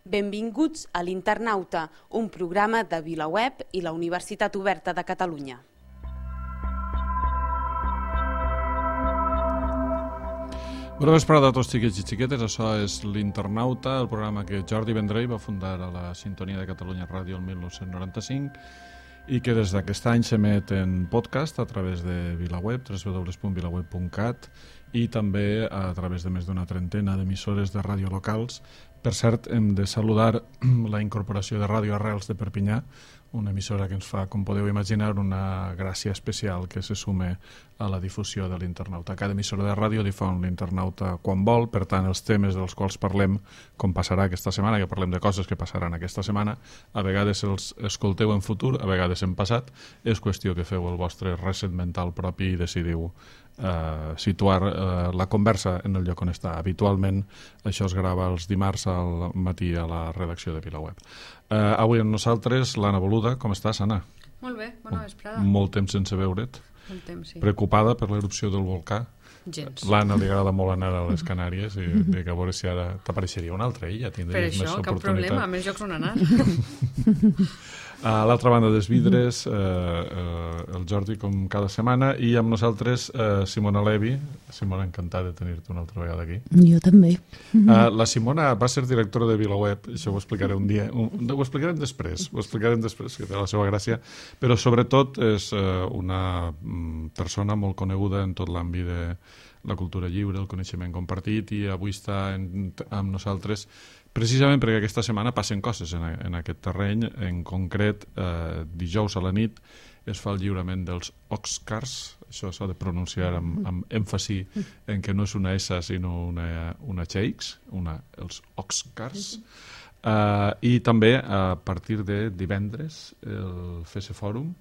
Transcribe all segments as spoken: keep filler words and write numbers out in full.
Benvinguts a l'Internauta, un programa de VilaWeb i la Universitat Oberta de Catalunya. Bona vesprada a tots xiquets i xiquetes, això és l'Internauta, el programa que Jordi Vendrell va fundar a la Sintonia de Catalunya Ràdio el mil nou-cents noranta-cinc i que des d'aquest any s'emet en podcast a través de VilaWeb, w w w punt vilaweb punt cat, i també a través de més d'una trentena d'emissores de ràdio locals. Per cert, hem de saludar la incorporació de Ràdio Arrels de Perpinyà, una emissora que ens fa, com podeu imaginar, una gràcia especial que se sume a la difusió de l'Internauta. Cada emissora de ràdio difon l'Internauta quan vol, per tant, els temes dels quals parlem, com passarà aquesta setmana, que parlem de coses que passaran aquesta setmana, a vegades els escolteu en futur, a vegades en passat, és qüestió que feu el vostre reset mental propi i decidiu eh, situar eh, la conversa en el lloc on està. Habitualment això es grava els dimarts al matí a la redacció de VilaWeb. Eh, avui amb nosaltres l'Anna Boluda. Com estàs, Anna? Molt bé, bona vesprada. Molt temps sense veure't. Molt temps, sí. Preocupada per l'erupció del volcà? Gens. L'Anna li agrada molt anar a les Canàries i dic, a veure si ara t'apareixeria una altra illa. Per això, cap problema, a més llocs on anar. A l'altra banda dels vidres, eh, eh, el Jordi, com cada setmana, i amb nosaltres eh, Simona Levi. Simona, encantada de tenir-te una altra vegada aquí. Jo també. Uh, la Simona va ser directora de VilaWeb, això ho explicaré un dia, un, ho explicarem després, ho explicarem després, que té la seva gràcia, però sobretot és uh, una um, persona molt coneguda en tot l'àmbit de la cultura lliure, el coneixement compartit, i avui està en, amb nosaltres precisament perquè aquesta setmana passen coses en, en aquest terreny. En concret, eh, dijous a la nit es fa el lliurament dels Oscars. Això s'ha de pronunciar amb, amb èmfasi en que no és una S sinó una, una X, una, els Oscars. Uh, I també a partir de divendres el F S Fòrum,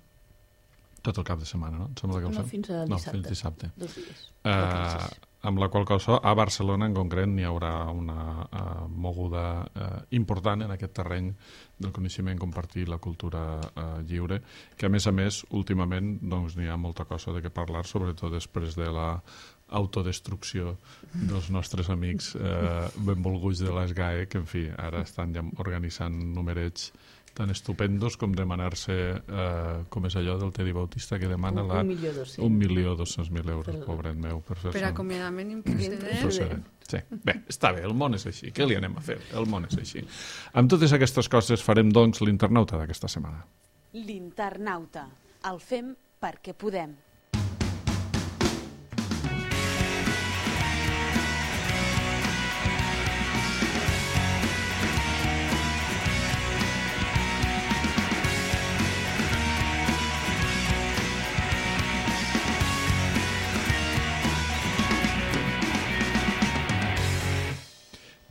tot el cap de setmana, no? Em sembla que el no, fem? fins a dissabte. No, fins dissabte. Dos dies. Uh, amb la qual cosa a Barcelona en concret n'hi haurà una uh, moguda uh, important en aquest terreny del coneixement compartir, la cultura uh, lliure, que a més a més últimament doncs, n'hi ha molta cosa de què parlar, sobretot després de la autodestrucció dels nostres amics eh, benvolguts de l'ESGAE, que en fi, ara estan ja organitzant numerets tan estupendos com demanar-se, eh, com és allò del Tedi Bautista, que demana un, la, un milió dos cents un milió dos-cents mil euros, pobret meu, per fer-se... Per acomiadament improcedent. procedent. Sí. Bé, està bé, el món és així. Què li anem a fer? El món és així. Amb totes aquestes coses farem, doncs, l'Internauta d'aquesta setmana. L'Internauta. El fem perquè podem.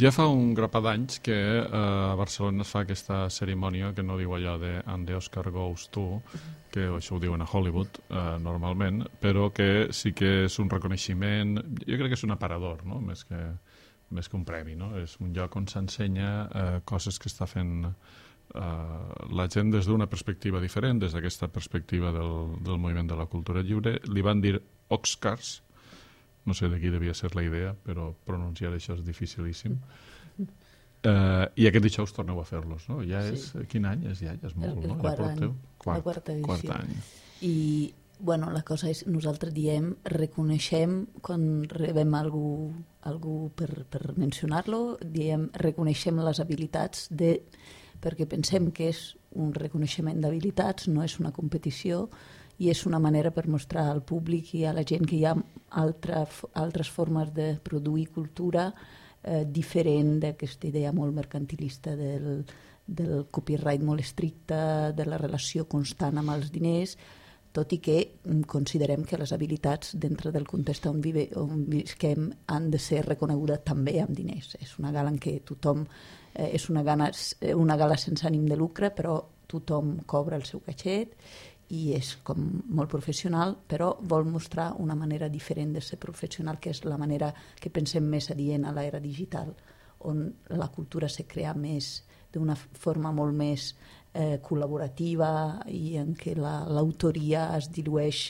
Ja fa un grapat d'anys que eh, a Barcelona es fa aquesta cerimònia que no diu allò de "and the Oscar goes to", que això ho diuen a Hollywood eh, normalment, però que sí que és un reconeixement, jo crec que és un aparador, no? més, que, més que un premi, no? És un lloc on s'ensenya eh, coses que està fent eh, la gent des d'una perspectiva diferent, des d'aquesta perspectiva del, del moviment de la cultura lliure. Li van dir Oscars. No sé de qui devia ser la idea, però pronunciar això és dificilíssim. Uh, I aquest dijous torneu a fer-los, no? Ja és... Sí. Quin any és ja? Ja és molt, el, el no? quart ja any. Quart, la quarta edició. Quart any. I, bueno, la cosa és, nosaltres diem, reconeixem, quan rebem algú, algú per, per mencionar-lo, diem, reconeixem les habilitats de... perquè pensem que és un reconeixement d'habilitats, no és una competició, i és una manera per mostrar al públic i a la gent que hi ha altra, altres formes de produir cultura eh, diferent d'aquesta idea molt mercantilista del, del copyright molt estricte, de la relació constant amb els diners, tot i que considerem que les habilitats dintre del context on, vive, on visquem han de ser reconegudes també amb diners. És una gala en què tothom, eh, és una gala, una gala sense ànim de lucre, però tothom cobra el seu catxet i és com molt professional, però vol mostrar una manera diferent de ser professional, que és la manera que pensem més adient a l'era digital, on la cultura se crea més d'una forma molt més eh, col·laborativa i en què la, l'autoria es dilueix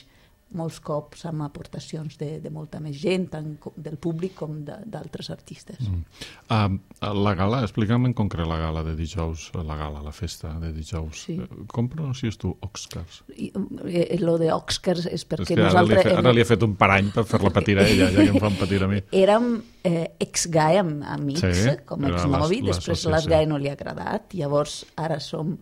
molts cops amb aportacions de, de molta més gent, tant del públic com d'altres artistes. Mm. Uh, la gala, explica'm en concret la gala de dijous, la gala, la festa de dijous. Sí. Com pronuncies tu Oscars? I, eh, lo de Oscars és perquè és que nosaltres... Ara li, he fet, ara li he fet un parany per fer-la patir a ella, ja que em fan patir a mi. Érem eh, ex-G A E amics, sí, com ex-novi, després les G A E no li ha agradat, llavors ara som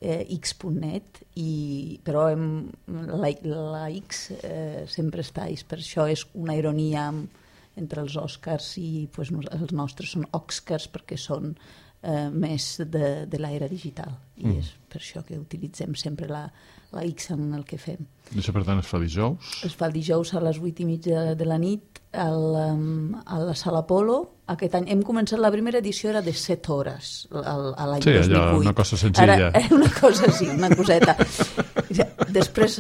eh, X punt net, i, però hem, la, la X eh, sempre està, i per això és una ironia entre els Oscars i pues, els nostres són Oscars perquè són eh, més de, de l'era digital, i mm. és per això que utilitzem sempre la, la X en el que fem. I això, per tant, es fa dijous? Es fa dijous a les vuit i mitja de la nit al, um, a la Sala Polo. Aquest any hem començat, la primera edició era de set hores a l'any sí, dos mil vuit. Sí, allò, una cosa senzilla. Ara, una cosa, sí, una coseta. Després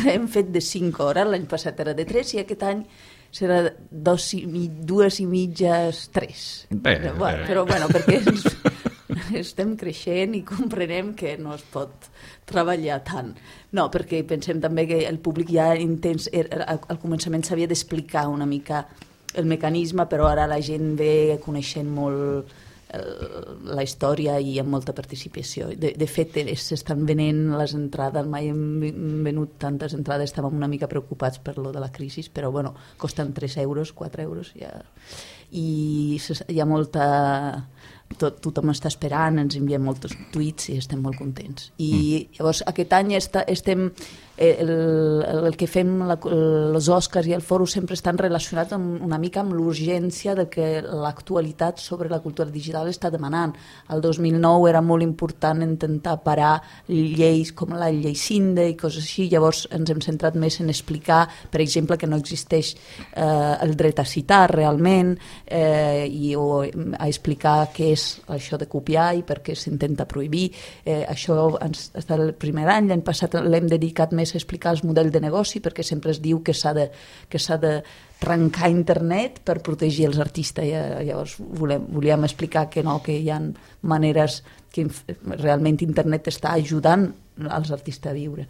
hem fet de cinc hores, l'any passat era de tres, i aquest any serà dos i, dues i mitges, tres. Bé, però, bueno, bé. però bueno, perquè ens, estem creixent i comprenem que no es pot treballar tant. No, perquè pensem també que el públic ja intens, al començament s'havia d'explicar una mica el mecanisme, però ara la gent ve coneixent molt la història i amb molta participació. De, de fet, s'estan venent les entrades, mai hem venut tantes entrades, estàvem una mica preocupats per lo de la crisi, però bueno, costen tres euros, quatre euros, ja. I hi ha molta... Tot, tothom està esperant, ens envien molts tuits i estem molt contents. I mm. llavors aquest any està, estem... El, el que fem, la, els Oscars i el Fòrum sempre estan relacionats amb, una mica amb l'urgència de que l'actualitat sobre la cultura digital està demanant. El dos mil nou era molt important intentar parar lleis com la llei Cinde i coses així, llavors ens hem centrat més en explicar, per exemple, que no existeix eh, el dret a citar realment, eh, i, o a explicar què és això de copiar i per què s'intenta prohibir. Eh, això ens, està el primer any, l'any passat l'hem dedicat més a explicar els models de negoci, perquè sempre es diu que s'ha de, que s'ha de trencar internet per protegir els artistes. I, llavors volem, volíem explicar que no, que hi ha maneres que realment internet està ajudant als artistes a viure.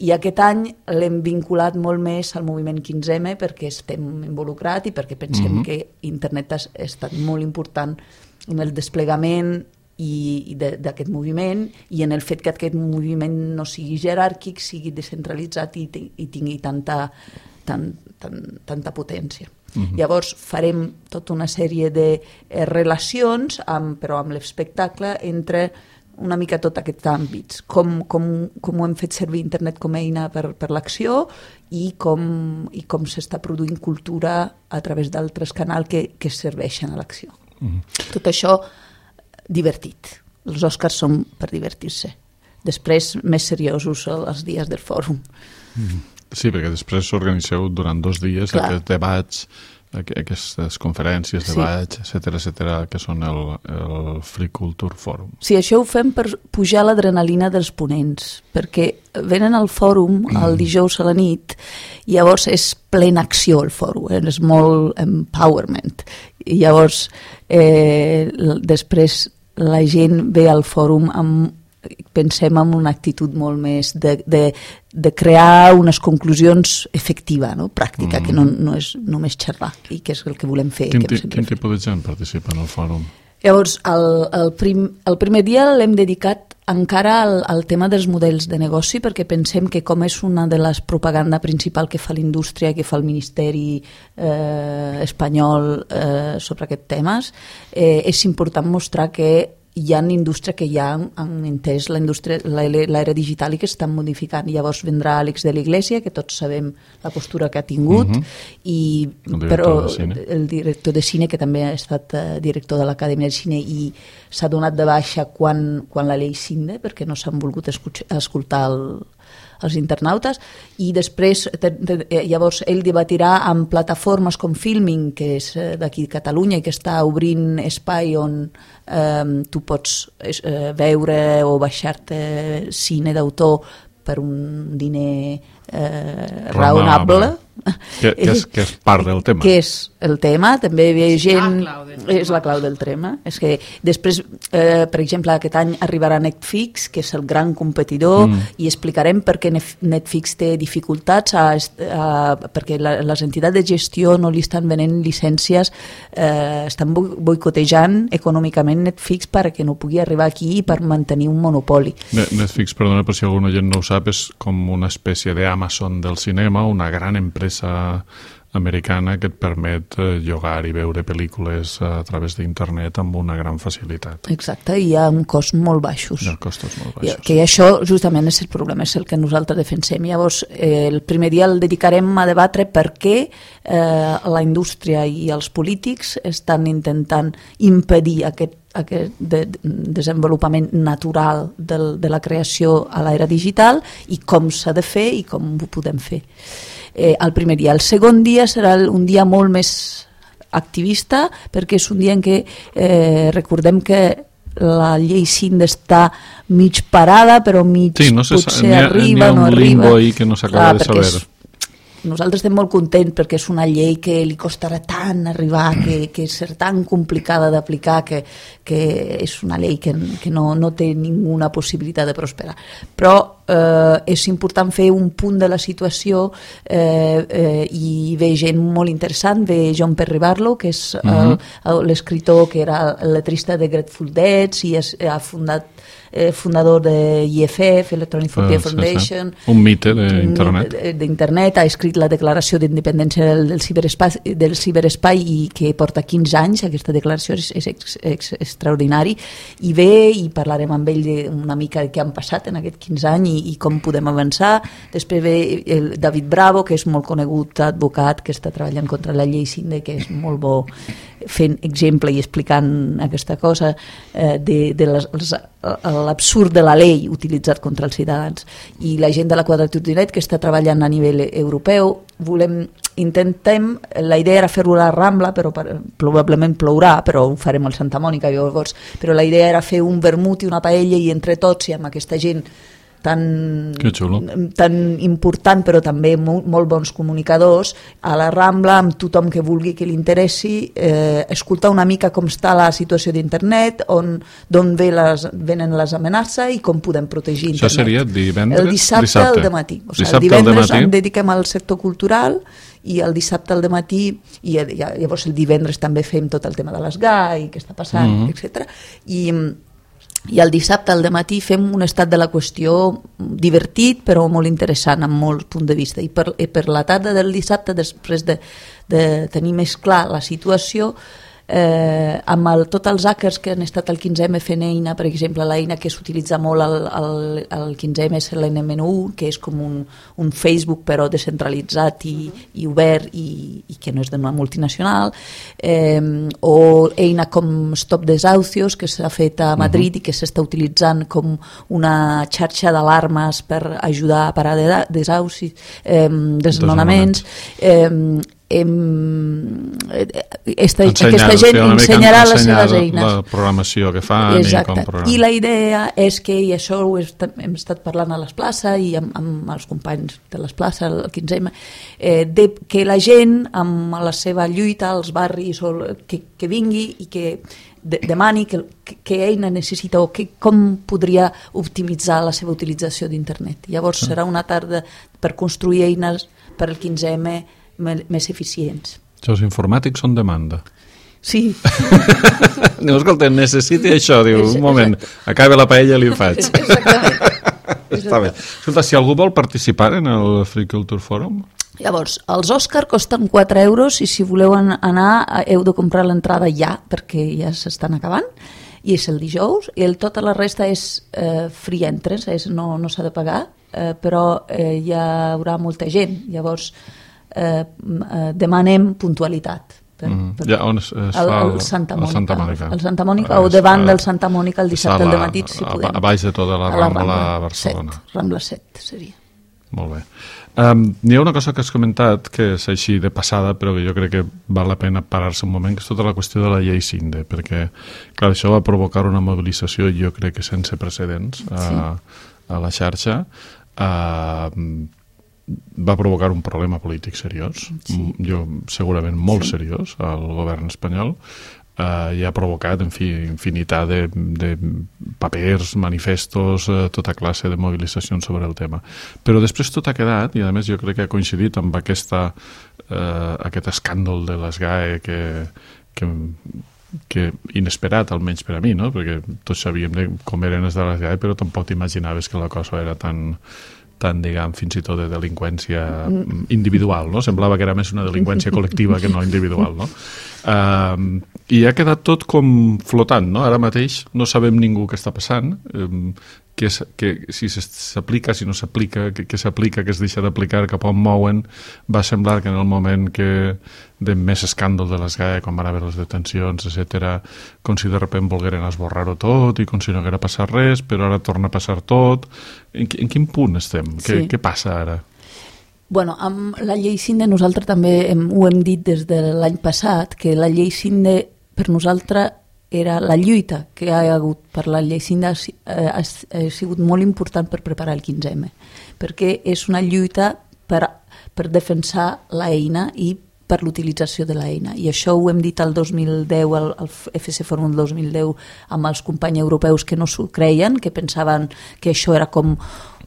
I aquest any l'hem vinculat molt més al moviment quinze ema perquè estem involucrats i perquè pensem mm-hmm. que internet ha estat molt important en el desplegament i d'aquest moviment i en el fet que aquest moviment no sigui jeràrquic, sigui descentralitzat i, i tingui tanta, tan, tan, tanta potència. Uh-huh. Llavors farem tota una sèrie de eh, relacions, amb, però amb l'espectacle, entre una mica tots aquests àmbits, com, com, com ho hem fet servir internet com a eina per, per l'acció i com, i com s'està produint cultura a través d'altres canals que, que serveixen a l'acció. Uh-huh. Tot això divertit. Els Oscars són per divertir-se. Després, més seriosos els dies del fòrum. Sí, perquè després s'organitzeu durant dos dies Clar. aquests debats, aquestes conferències, debats, sí. etcètera, etcètera, que són el, el Free Culture Forum. Sí, això ho fem per pujar l'adrenalina dels ponents, perquè venen al fòrum el dijous a la nit i llavors és plena acció el fòrum, eh? És molt empowerment. I llavors, eh, després la gent ve al fòrum amb, pensem en una actitud molt més de, de, de crear unes conclusions efectiva, no? Pràctica, mm. que no, no és només xerrar, i que és el que volem fer. Quin, que quin tipus de gent participa en el fòrum? Llavors, el, el, prim, el primer dia l'hem dedicat encara al, al tema dels models de negoci, perquè pensem que com és una de les propaganda principal que fa l'indústria, que fa el Ministeri eh, espanyol eh, sobre aquests temes, eh, és important mostrar que hi ha indústria que ja han, han entès la indústria, l'era digital i que estan modificant. Llavors vendrà Àlex de la Iglesia, que tots sabem la postura que ha tingut, uh-huh. i, el però de el director de cine, que també ha estat uh, director de l'Acadèmia de Cine i s'ha donat de baixa quan, quan la llei Cinde, perquè no s'han volgut escoltar el els internautes, i després llavors ell debatirà amb plataformes com Filming, que és d'aquí de Catalunya i que està obrint espai on eh, tu pots eh, veure o baixar-te cine d'autor per un diner eh, raonable. Que, que, és, que és part del tema. Que és el tema, també hi havia gent... La clau del tema. És la clau del tema. És que després, eh, per exemple, aquest any arribarà Netflix, que és el gran competidor, mm. i explicarem per què Netflix té dificultats, a, a, perquè la, les entitats de gestió no li estan venent llicències, eh, estan boicotejant econòmicament Netflix perquè no pugui arribar aquí per mantenir un monopoli. Netflix, perdona, per si alguna gent no ho sap, és com una espècie d'Amazon del cinema, una gran empresa americana que et permet llogar i veure pel·lícules a través d'internet amb una gran facilitat. Exacte, i ha un cost molt baixos. Hi ha costos molt baixos. Que això justament és el problema, és el que nosaltres defensem. Llavors, eh, el primer dia el dedicarem a debatre per què eh, la indústria i els polítics estan intentant impedir aquest aquest de, de desenvolupament natural del, de la creació a l'era digital i com s'ha de fer i com ho podem fer. Eh, el primer dia. El segon dia serà un dia molt més activista perquè és un dia en què eh, recordem que la llei Cindy està mig parada però mig sí, no potser ha, arriba, no arriba. N'hi ha un limbo ahí que no s'acaba de saber. És, nosaltres estem molt contents perquè és una llei que li costarà tant arribar, que, que és tan complicada d'aplicar, que, que és una llei que, que no, no té ninguna possibilitat de prosperar. Però eh, és important fer un punt de la situació eh, eh, i ve gent molt interessant, ve John Perry Barlow, que és uh-huh. l'escriptor que era el letrista de Grateful Dead i és, ha fundat Eh, fundador de I F F, Electronic Frontier ah, Foundation, sí, sí. un mite d'internet. d'internet, ha escrit la declaració d'independència del, del, ciberespai, del ciberespai i que porta quinze anys, aquesta declaració és, és ex, ex, extraordinari, i ve i parlarem amb ell de una mica de què han passat en aquest quinze anys i, i com podem avançar. Després ve el David Bravo, que és molt conegut advocat, que està treballant contra la llei Cindy, que és molt bo fent exemple i explicant aquesta cosa eh, de, de les, les, l'absurd de la llei utilitzat contra els ciutadans. I la gent de la Quadratura Net que està treballant a nivell europeu, volem, intentem, la idea era fer-ho a la Rambla, però per, probablement plourà, però ho farem al Santa Mònica, llavors, però la idea era fer un vermut i una paella i entre tots i amb aquesta gent tan, tan important però també molt, molt bons comunicadors a la Rambla amb tothom que vulgui que li interessi eh, escoltar una mica com està la situació d'internet, on d'on ve les, venen les amenaces i com podem protegir internet. Això seria divendres? El dissabte, dissabte. al dematí. O sigui, el divendres en dediquem al sector cultural i el dissabte al dematí i llavors el divendres també fem tot el tema de les G A I, què està passant, mm-hmm. etcètera. I i el dissabte al dematí fem un estat de la qüestió divertit però molt interessant amb molts punts de vista i per, i per la tarda del dissabte, després de, de tenir més clar la situació, eh, amb el, tots els hackers que han estat al quinze eme fent eina, per exemple l'eina que s'utilitza molt al, al, al quinze eme és l'N M N U, que és com un, un Facebook però descentralitzat i, i obert i, i que no és d'una multinacional, eh, o eina com Stop Desahucios que s'ha fet a Madrid uh-huh. i que s'està utilitzant com una xarxa d'alarmes per ajudar a parar de desahucis, eh, desnonaments, eh, Esta, aquesta gent ensenyarà les seves eines, la programació que fan. Exacte. I, com I la idea és que, i això ho hem estat parlant a les places i amb, amb els companys de les places el quinze eme, eh, de, que la gent amb la seva lluita als barris o que, que vingui i que de, demani que, que, que eina necessita o que, com podria optimitzar la seva utilització d'internet. Llavors serà una tarda per construir eines per al quinze eme més eficients. Els informàtics són demanda. Sí. Diu, escolta, necessiti això. Diu, un moment, acabi la paella i li ho faig. Exactament. Està bé. Escolta, si algú vol participar en el Free Culture Forum... Llavors, els Òscar costen quatre euros i si voleu anar heu de comprar l'entrada ja, perquè ja s'estan acabant, i és el dijous, i el, tota la resta és eh, free entrance, és, no, no s'ha de pagar, eh, però eh, hi haurà molta gent, llavors Eh, eh, demanem puntualitat per, mm. per ja, on es, es el, fa el, el Santa Mònica, el Santa Mònica. El Santa Mònica o davant del Santa Mònica el dissabte al dematí, si podem. A baix de tota la Rambla, la Rambla a Barcelona. set, Rambla set seria. Molt bé. Um, n'hi ha una cosa que has comentat que és així de passada, però que jo crec que val la pena parar-se un moment, que és tota la qüestió de la llei Cindy, perquè clar, això va provocar una mobilització jo crec que sense precedents a, sí. a la xarxa. Uh, va provocar un problema polític seriós, sí. jo segurament molt sí. seriós, al govern espanyol, Uh, i ha provocat, en fi, infinitat de, de papers, manifestos, uh, tota classe de mobilitzacions sobre el tema. Però després tot ha quedat, i a més jo crec que ha coincidit amb aquesta, uh, aquest escàndol de l'ESGAE que, que, que inesperat, almenys per a mi, no? Perquè tots sabíem de com eren els de l'ESGAE, però tampoc t'imaginaves que la cosa era tan... tant, diguem, fins i tot de delinqüència individual, no? Semblava que era més una delinqüència col·lectiva que no individual, no? Uh, I ha quedat tot com flotant, no? Ara mateix no sabem ningú què està passant, um, que, que si s'aplica, si no s'aplica, que, que s'aplica, que es deixa d'aplicar, cap on mouen. Va semblar que en el moment que de més escàndol de l'ESGAE, quan van haver les detencions, etcètera, com si de repente volgueren esborrar-ho tot i com si no haguera passat res, però ara torna a passar tot. En, en quin punt estem? Sí. Què, què passa ara? Bueno, amb la llei Cinde nosaltres també hem, ho hem dit des de l'any passat, que la llei Cinde per nosaltres era la lluita que hi ha hagut per la llei Cinde ha, ha, ha sigut molt important per preparar el quinze eme, perquè és una lluita per, per defensar l'eina i per l'utilització de l'eina. I això ho hem dit el dos mil deu, al, al F C Forum del dos mil deu, amb els companys europeus que no s'ho creien, que pensaven que això era com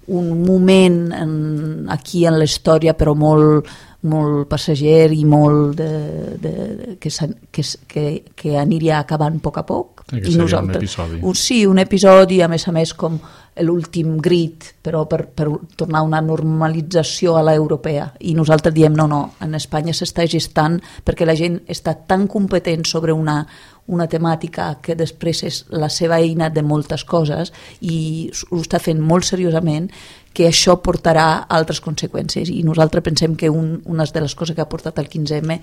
un moment en, aquí en la història, però molt, molt passager i molt de, de, de, que, que, que, que aniria acabant a poc a poc. Sí, que seria un episodi. Un, sí, un episodi, a més a més com l'últim grit, però per, per tornar a una normalització a l'europea. I nosaltres diem, no, no, en Espanya s'està gestant perquè la gent està tan competent sobre una, una temàtica que després és la seva eina de moltes coses i ho està fent molt seriosament, que això portarà altres conseqüències. I nosaltres pensem que un, una de les coses que ha portat el quinze eme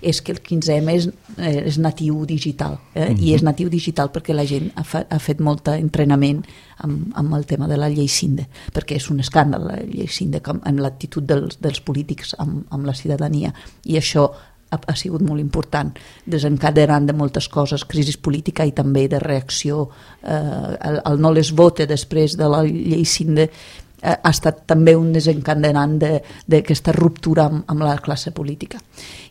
és que el quinze eme és, eh, és natiu digital. Eh? Mm-hmm. I és natiu digital perquè la gent ha, fa, ha fet molt entrenament amb, amb el tema de la llei Cinde, perquè és un escàndal la llei Cinde amb l'actitud dels, dels polítics amb, amb la ciutadania. I això ha, ha sigut molt important, desencadenant de moltes coses, crisi política i també de reacció. Eh, el, el no les vote després de la llei Cinde ha estat també un desencadenant d'aquesta ruptura amb, amb la classe política.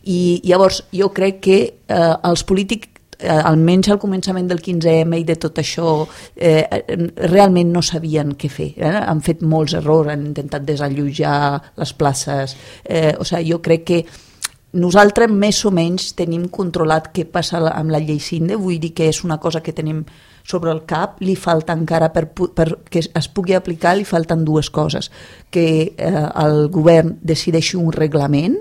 I llavors jo crec que eh, els polítics, eh, almenys al començament del quinze eme i de tot això, eh, realment no sabien què fer. Eh? Han fet molts errors, han intentat desallotjar les places. Eh, o sigui, jo crec que nosaltres més o menys tenim controlat què passa amb la llei Cinde, vull dir que és una cosa que tenim sobre el cap, li falta encara per, per que es pugui aplicar, li falten dues coses, que eh, el govern decideixi un reglament,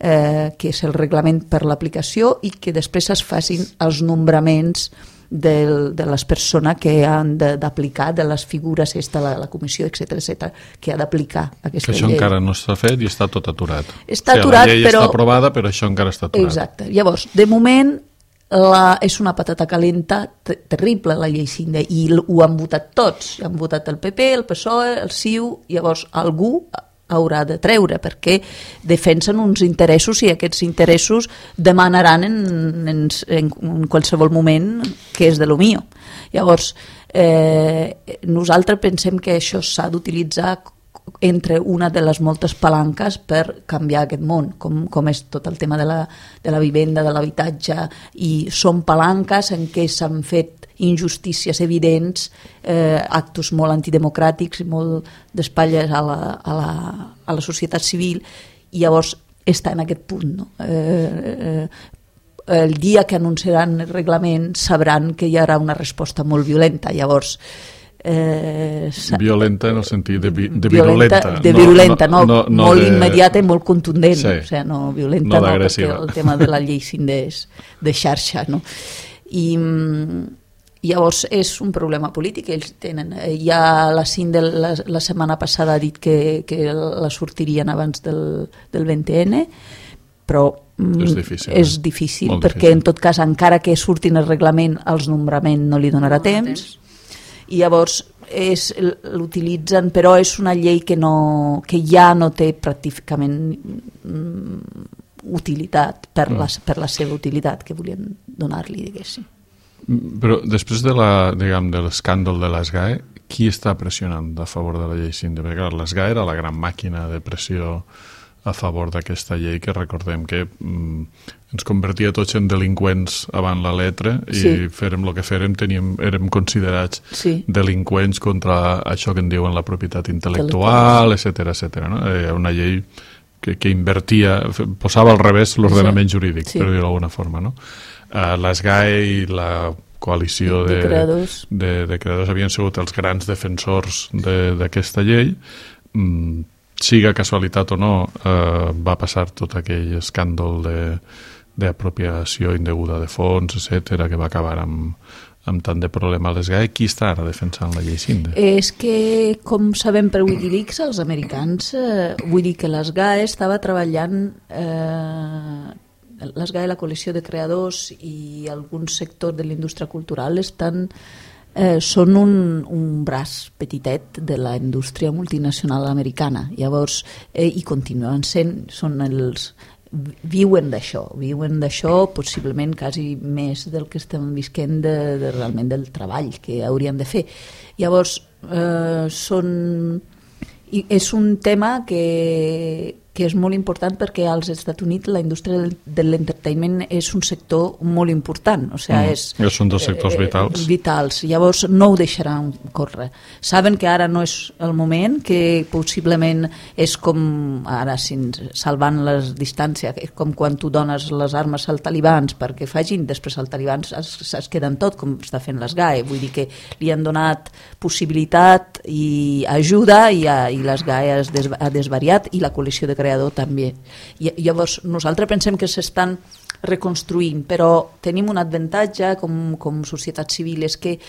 eh, que és el reglament per l'aplicació, i que després es facin els nombraments de, de les persones que han d'aplicar, de, de les figures, esta, la, la comissió, etcètera, etcètera, que ha d'aplicar aquesta llei. Que això llei. encara no està fet i està tot aturat. Està o sigui, aturat, la llei però... està aprovada, però això encara està aturat. Exacte. Llavors, de moment, la, és una patata calenta terrible, la llei Cinde, i ho han votat tots. Han votat el P P, el P S O E, el C I U, llavors algú haurà de treure, perquè defensen uns interessos i aquests interessos demanaran en, en, en qualsevol moment que és de lo mío. Llavors, eh, nosaltres pensem que això s'ha d'utilitzar entre una de les moltes palanques per canviar aquest món, com, com és tot el tema de la, de la vivenda, de l'habitatge, i són palanques en què s'han fet injustícies evidents, eh, actos molt antidemocràtics i molt d'espatlles a la, a, la, a la societat civil, i llavors està en aquest punt. No? Eh, eh, el dia que anunciaran el reglament sabran que hi haurà una resposta molt violenta, llavors Eh, violenta en el sentit de, vi, de virulenta, de virulenta no, no, no, no, molt de... immediata i molt contundent, sí. O sigui, no violenta no, no perquè el tema de la llei Cinde és de xarxa, no? I llavors és un problema polític que ells tenen. Ja la Cinde la, la setmana passada ha dit que, que la sortirien abans del, del vint ene, però és difícil, és eh? difícil Molt perquè difícil. En tot cas, encara que surtin el reglament, els nombrament no li donarà no, temps, temps i llavors és, l'utilitzen, però és una llei que, no, que ja no té pràcticament mm, utilitat per, mm. la, per la seva utilitat que volien donar-li, diguéssim. Però després de la, diguem, de l'escàndol de l'ESGAE, qui està pressionant a favor de la llei Sinde? Perquè clar, l'S G A era la gran màquina de pressió a favor d'aquesta llei, que recordem que mm, ens convertia tots en delinqüents avant la letra i sí. Fèrem el que fèrem, teníem, érem considerats sí. Delinqüents contra això que en diuen la propietat intel·lectual, etcètera, etcètera. No? Era una llei que, que invertia, posava al revés l'ordenament sí. Jurídic, sí. Per dir-ho d'alguna forma. No? Uh, l'S G A i la coalició de, de, creadors. de, de creadors havien sigut els grans defensors d'aquesta de, llei. Mm, siga casualitat o no, eh, va passar tot aquell escàndol d'apropiació indeguda de fons, etcètera, que va acabar amb, amb tant de problema a l'S G A. Qui està ara defensant la llei Sinde? És que, com sabem per Wikileaks, els americans, eh, vull dir que l'S G A estava treballant, eh, l'S G A i la coalició de creadors i alguns sectors de la indústria cultural estan Eh, són un, un braç petitet de la indústria multinacional americana. Llavors, eh, i continuen sent, són els, viuen d'això, viuen d'això possiblement quasi més del que estem visquent de, de realment del treball que haurien de fer. Llavors, eh, són... I és un tema que, que és molt important perquè als Estats Units la indústria de l'entertainment és un sector molt important, o sigui, mm, és, és un dels sectors vitals. Eh, vitals. Llavors no ho deixaran córrer. Saben que ara no és el moment, que possiblement és com ara, salvant les distàncies, és com quan tu dones les armes als talibans perquè facin, després els talibans es, es queden tot, com està fent l'S G A E. Vull dir que li han donat possibilitat i ajuda i, i l'S G A E ha desvariat i la coalició de creador també. I, llavors nosaltres pensem que s'estan reconstruint, però tenim un avantatge com, com societat civil, és que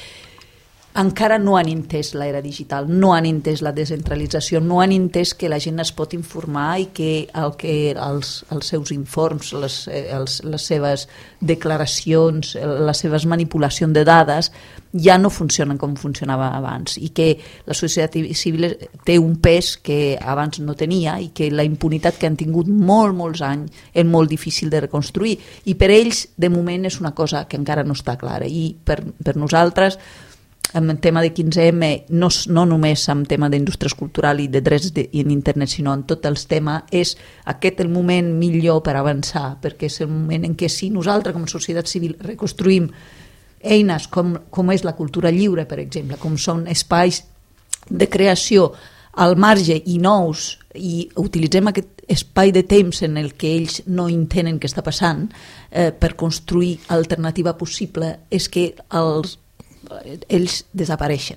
encara no han entès l'era digital, no han entès la descentralització, no han entès que la gent es pot informar i que, el que els, els seus informes, les, els, les seves declaracions, les seves manipulacions de dades ja no funcionen com funcionava abans i que la societat civil té un pes que abans no tenia i que la impunitat que han tingut molt, molts anys és molt difícil de reconstruir i per ells de moment és una cosa que encara no està clara i per, per nosaltres en el tema de quinze eme, no, no només en tema d'indústries culturals i de drets de, en internet, sinó en tot el tema, és aquest el moment millor per avançar, perquè és el moment en què si nosaltres com a societat civil reconstruïm eines com, com és la cultura lliure, per exemple, com són espais de creació al marge i nous, i utilitzem aquest espai de temps en el que ells no entenen què està passant eh, per construir alternativa possible, és que els ells desapareixen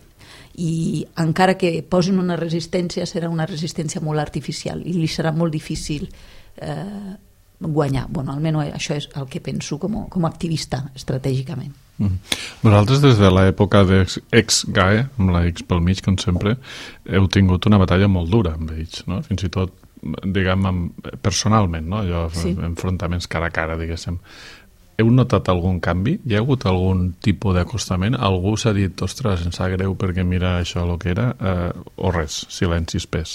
i encara que posin una resistència serà una resistència molt artificial i li serà molt difícil eh, guanyar. Bueno, almenys això és el que penso com a, com a activista estratègicament. Mm. Vosaltres des de l'època d'ex-G A E, amb la X pel mig com sempre, heu tingut una batalla molt dura amb ells, no? Fins i tot diguem personalment, no? Allò, sí. Enfrontaments cara a cara, diguéssim. Heu notat algun canvi? Hi ha hagut algun tipus d'acostament? Algú s'ha dit, ostres, em sap greu perquè mira això el que era, eh, o res, silenci espès?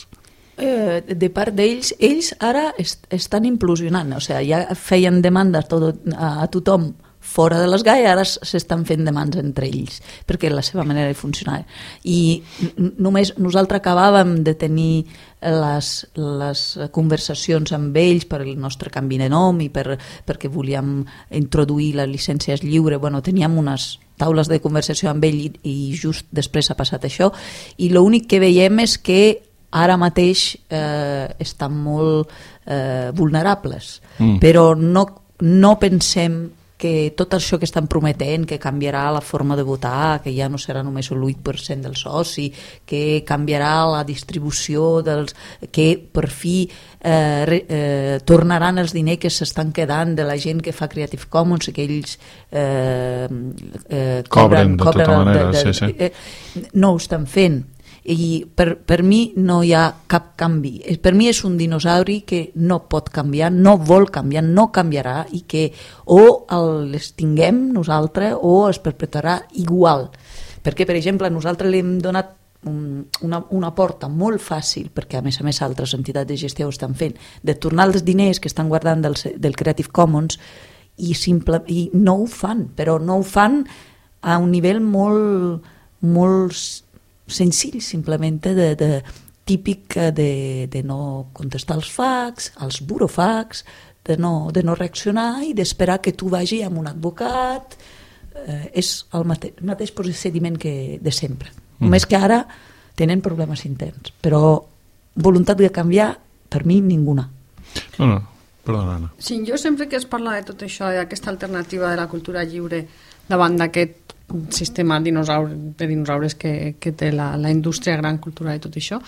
Eh, de part d'ells, ells ara est estan implosionant, o sigui, ja feien demandes tot, a, a tothom fora de l'S G A E, ara s'estan fent demandes entre ells, perquè és la seva manera de funcionar. I només nosaltres acabàvem de tenir les, les conversacions amb ells per el nostre canvi de nom i per, perquè volíem introduir les llicències lliures. Bueno, teníem unes taules de conversació amb ell i, i just després ha passat això. I l'únic que veiem és que ara mateix eh, estan molt eh, vulnerables, mm. però no, no pensem que tot això que estan prometent, que canviarà la forma de votar, que ja no serà només el vuit per cent del soci, que canviarà la distribució dels... que per fi eh, re, eh, tornaran els diners que s'estan quedant de la gent que fa Creative Commons i que ells eh, eh, cobren, cobren de tota cobren manera, de, de, sí, sí. Eh, no ho estan fent. I per, per mi no hi ha cap canvi. Per mi és un dinosauri que no pot canviar, no vol canviar, no canviarà i que o l'extinguem nosaltres o es perpetuarà igual. Perquè, per exemple, nosaltres li hem donat un, una, una porta molt fàcil, perquè a més a més altres entitats de gestió ho estan fent, de tornar els diners que estan guardant del, del Creative Commons i, simple, i no ho fan, però no ho fan a un nivell molt, molt senzill, simplement de, de, típic de, de no contestar els fax, els burofax, de no, de no reaccionar i d'esperar que tu vagi amb un advocat. Eh, és el mate, mateix procediment que de sempre. Mm. Només que ara tenen problemes interns, però voluntat de canviar, per mi, ninguna. No, no, perdona, Anna. Sí, jo sempre que es parla de tot això, d'aquesta alternativa de la cultura lliure davant d'aquest sistema dinosaure, de dinosaures que, que té la, la indústria gran cultural i tot això,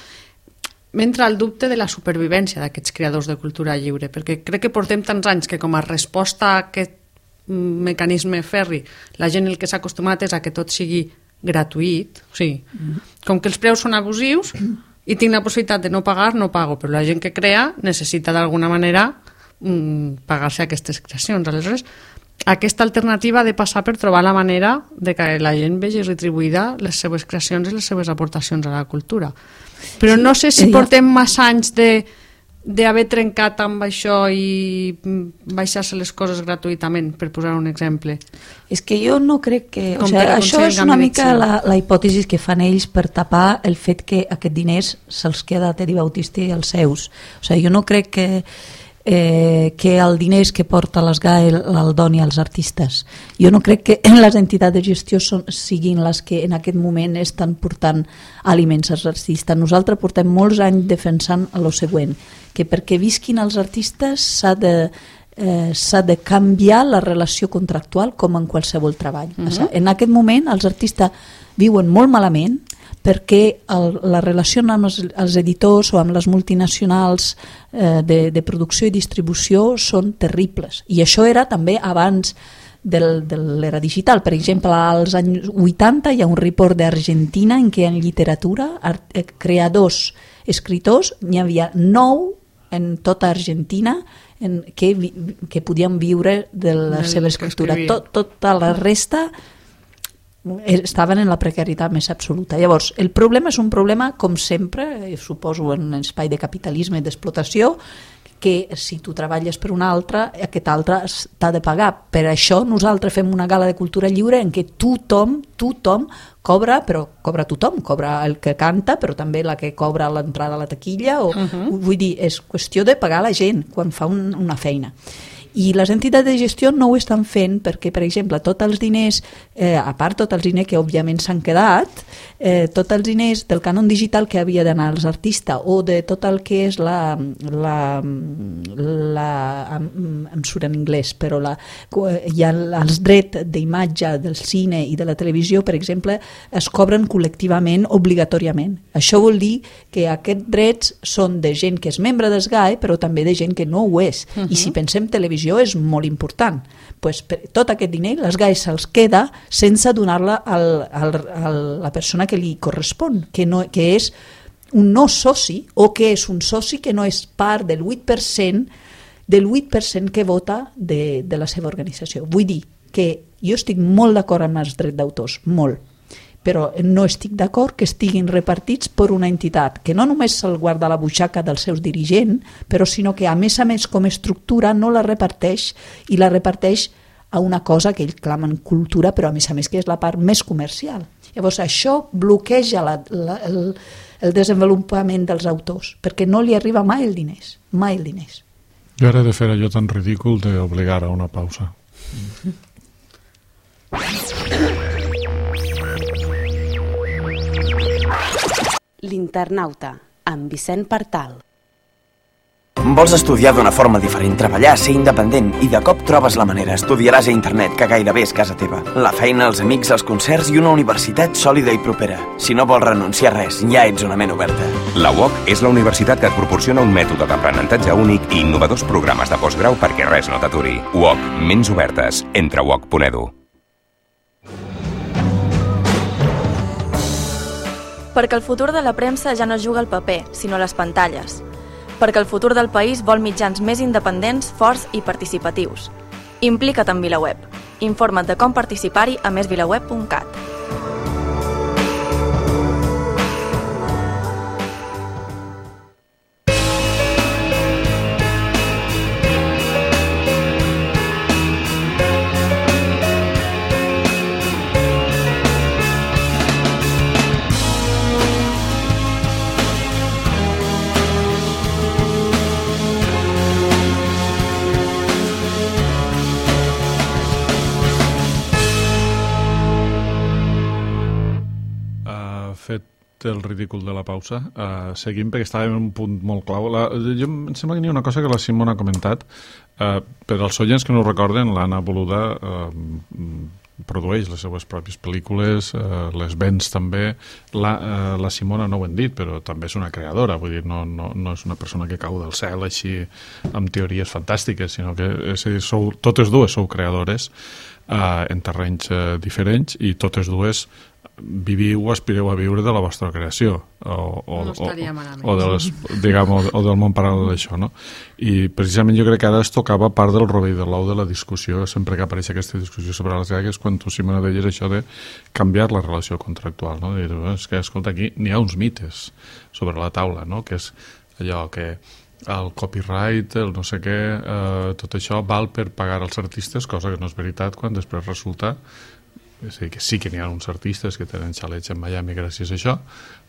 m'entra el dubte de la supervivència d'aquests creadors de cultura lliure, perquè crec que portem tants anys que com a resposta a aquest mecanisme ferri, la gent el que s'ha acostumat és a que tot sigui gratuït, o sigui, mm. com que els preus són abusius i tinc la possibilitat de no pagar, no pago, però la gent que crea necessita d'alguna manera mmm, pagar-se aquestes creacions. Aleshores, aquesta alternativa ha de passar per trobar la manera de que la gent vegi retribuïda les seves creacions i les seves aportacions a la cultura. Però no sé si portem massa anys de d'haver trencat amb això i baixar-se les coses gratuïtament, per posar un exemple. És que jo no crec que... O sigui, això és una mica la, la hipòtesi que fan ells per tapar el fet que aquests diners se'ls queda Teddy Bautista i els seus. O sigui, jo no crec que eh, que el diners que porta l'S G A E el doni als artistes. Jo no crec que les entitats de gestió són, siguin les que en aquest moment estan portant aliments als artistes. Nosaltres portem molts anys defensant el següent, que perquè visquin els artistes s'ha de, eh, s'ha de canviar la relació contractual com en qualsevol treball. Uh-huh. O sigui, en aquest moment els artistes viuen molt malament perquè el, la relació amb els, els editors o amb les multinacionals eh, de, de producció i distribució són terribles. I això era també abans del, de l'era digital. Per exemple, als anys vuitanta hi ha un report d'Argentina en què en literatura, art, eh, creadors, escriptors, n'hi havia nou en tota Argentina en que, que podien viure de la seva escriptura. Tot, tota la resta estaven en la precarietat més absoluta. Llavors, el problema és un problema, com sempre, suposo en un espai de capitalisme i d'explotació, que si tu treballes per un altre, aquest altre t'ha de pagar. Per això nosaltres fem una gala de cultura lliure en què tothom, tothom cobra, però cobra tothom, cobra el que canta, però també la que cobra l'entrada a la taquilla, o, uh-huh. vull dir, és qüestió de pagar la gent quan fa un, una feina. I les entitats de gestió no ho estan fent perquè, per exemple, tots els diners, eh, a part tots els diners que òbviament s'han quedat, eh, tots els diners del cànon digital que havia d'anar als artistes o de tot el que és la... la, la em, em surt en anglès, però la, hi ha els drets d'imatge del cine i de la televisió, per exemple, es cobren col·lectivament, obligatòriament. Això vol dir que aquests drets són de gent que és membre del S G A E, però també de gent que no ho és. Uh-huh. I si pensem televisió, és molt important. Pues, per, tot aquest diner l'S G A E se'ls queda sense donar-la al, al, a la persona que li correspon, que, no, que és un no soci, o que és un soci que no és part del vuit per cent del vuit per cent que vota de, de la seva organització. Vull dir que jo estic molt d'acord amb els drets d'autors, molt, però no estic d'acord que estiguin repartits per una entitat que no només se'l guarda a la butxaca dels seus dirigents, però sinó que a més a més com a estructura no la reparteix i la reparteix a una cosa que ells clamen cultura, però a més a més que és la part més comercial. Llavors això bloqueja la, la, el, el desenvolupament dels autors, perquè no li arriba mai el diners, mai el diners. Jo ara he de fer allò tan ridícul d'obligar a una pausa. L'Internauta, amb Vicent Partal. Vols estudiar d'una forma diferent, treballar, ser independent i de cop trobes la manera. Estudiaràs a internet, que gairebé és casa teva. La feina, els amics, els concerts i una universitat sòlida i propera. Si no vols renunciar a res, ja ets una ment oberta. La U O C és la universitat que et proporciona un mètode d'aprenentatge únic i innovadors programes de postgrau perquè res no t'aturi. U O C, ments obertes. Entra a u o c punt e d u. Perquè el futur de la premsa ja no juga al paper, sinó a les pantalles. Perquè el futur del país vol mitjans més independents, forts i participatius. Implica't en VilaWeb. Informa't de com participar-hi a més vilaweb punt cat. fet el ridícul de la pausa, uh, seguim perquè estàvem en un punt molt clau. La, jo em sembla que hi ha una cosa que la Simona ha comentat, uh, per als oients que no ho recorden, l'Anna Boluda uh, produeix les seues pròpies pel·lícules, uh, les vens també. La, uh, la Simona no ho hem dit, però també és una creadora, vull dir, no, no, no és una persona que cau del cel així amb teories fantàstiques, sinó que és a dir, sou, totes dues sou creadores uh, en terrenys uh, diferents, i totes dues viviu o aspireu a viure de la vostra creació o, o, no estaria malament. o, o, de les, diguem, o, o del món paral·lel d'això, no? I precisament jo crec que ara es tocava part del rovell de l'ou de la discussió, sempre que apareix aquesta discussió sobre les gagues, quan tu, Simona, deies això de canviar la relació contractual, no? De dir, és que, escolta, aquí n'hi ha uns mites sobre la taula, no? Que és allò que el copyright, el no sé què, eh, tot això val per pagar als artistes, cosa que no és veritat quan després resulta. És a dir, que sí que n'hi ha uns artistes que tenen xalets en Miami gràcies a això,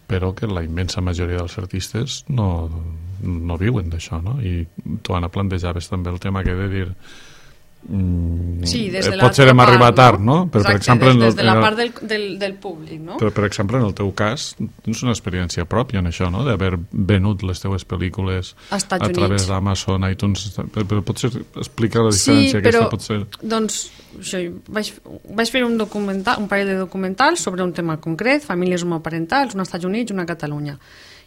però que la immensa majoria dels artistes no, no viuen d'això, no? I tu, Anna, plantejaves també el tema que he de dir mm, sí, des de potser hem arribat tard, no? no? Però, Exacte, per exemple, des, en el, des de la en el, part del, del, del públic, no? Però, per exemple, en el teu cas, tens una experiència pròpia en això, no? D'haver venut les teues pel·lícules a, a través d'Amazon, iTunes, però, però potser explica la diferència sí, però, aquesta, potser... doncs, això, vaig, vaig fer un documental, un parell de documentals sobre un tema concret, famílies homoparentals, un als Estats Units i una a Catalunya.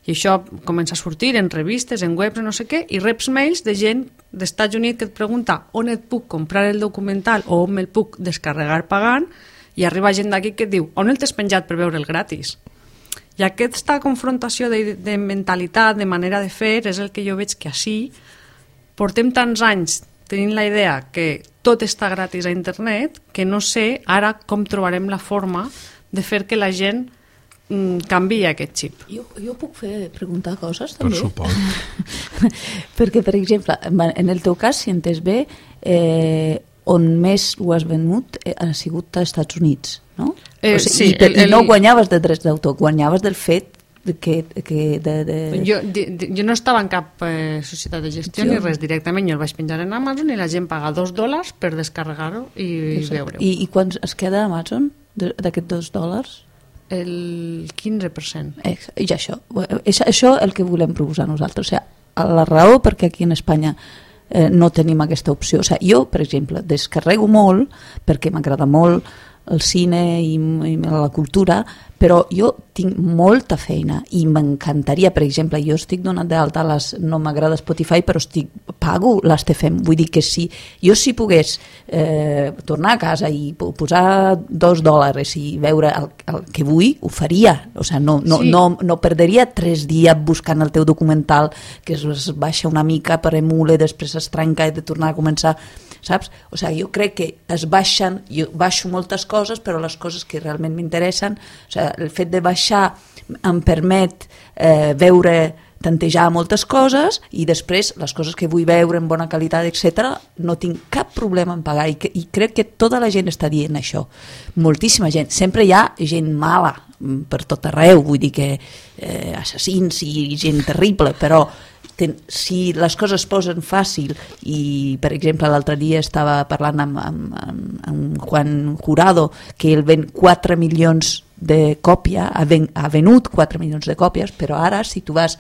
I això comença a sortir en revistes, en webs, no sé què, i reps mails de gent dels Estats Units que et pregunta on et puc comprar el documental o on me'l puc descarregar pagant, i arriba gent d'aquí que et diu on el t'has penjat per veure'l gratis. I aquesta confrontació de, de mentalitat, de manera de fer, és el que jo veig que així portem tants anys tenint la idea que tot està gratis a internet, que no sé ara com trobarem la forma de fer que la gent mm, canviï aquest xip. Jo, jo puc fer preguntar coses també? Per suport. Perquè, per exemple, en el teu cas, si entès bé, eh, on més ho has venut eh, ha sigut als Estats Units, no? Eh, o sigui, sí, i, el, el, i no guanyaves de drets d'autor, guanyaves del fet que, que de, de... Jo, de, de, jo no estava en cap eh, societat de gestió jo... ni res, directament jo el vaig penjar en Amazon i la gent paga dos dòlars per descarregar-ho i, i veure-ho. I, I quan es queda a Amazon d'aquests dos dòlars? El quinze per cent. Eh, I això, és això el que volem proposar nosaltres. O sigui, la raó perquè aquí en Espanya eh, no tenim aquesta opció. O sigui, jo, per exemple, descarrego molt perquè m'agrada molt el cine i, i la cultura, però jo tinc molta feina i m'encantaria, per exemple, jo estic donat d'alta, les, no m'agrada Spotify, però estic, pago les T F M, vull dir que si jo si pogués eh, tornar a casa i posar dos dòlars i veure el, el que vull, ho faria, o sigui, no, no, sí. no, no perderia tres dies buscant el teu documental, que es, es baixa una mica per emule, després es trenca i de tornar a començar, saps? O sigui, jo crec que es baixen, jo baixo moltes coses, però les coses que realment m'interessen, o sigui, el fet de baixar em permet eh, veure, tantejar moltes coses i després les coses que vull veure en bona qualitat, etcètera, no tinc cap problema en pagar i, que, i crec que tota la gent està dient això. Moltíssima gent. Sempre hi ha gent mala per tot arreu, vull dir que eh, assassins i gent terrible, però ten, si les coses es posen fàcil i, per exemple, l'altre dia estava parlant amb, amb, amb, amb Juan Jurado, que ell ven quatre milions de còpia, ha, ven, ha venut quatre milions de còpies, però ara si tu vas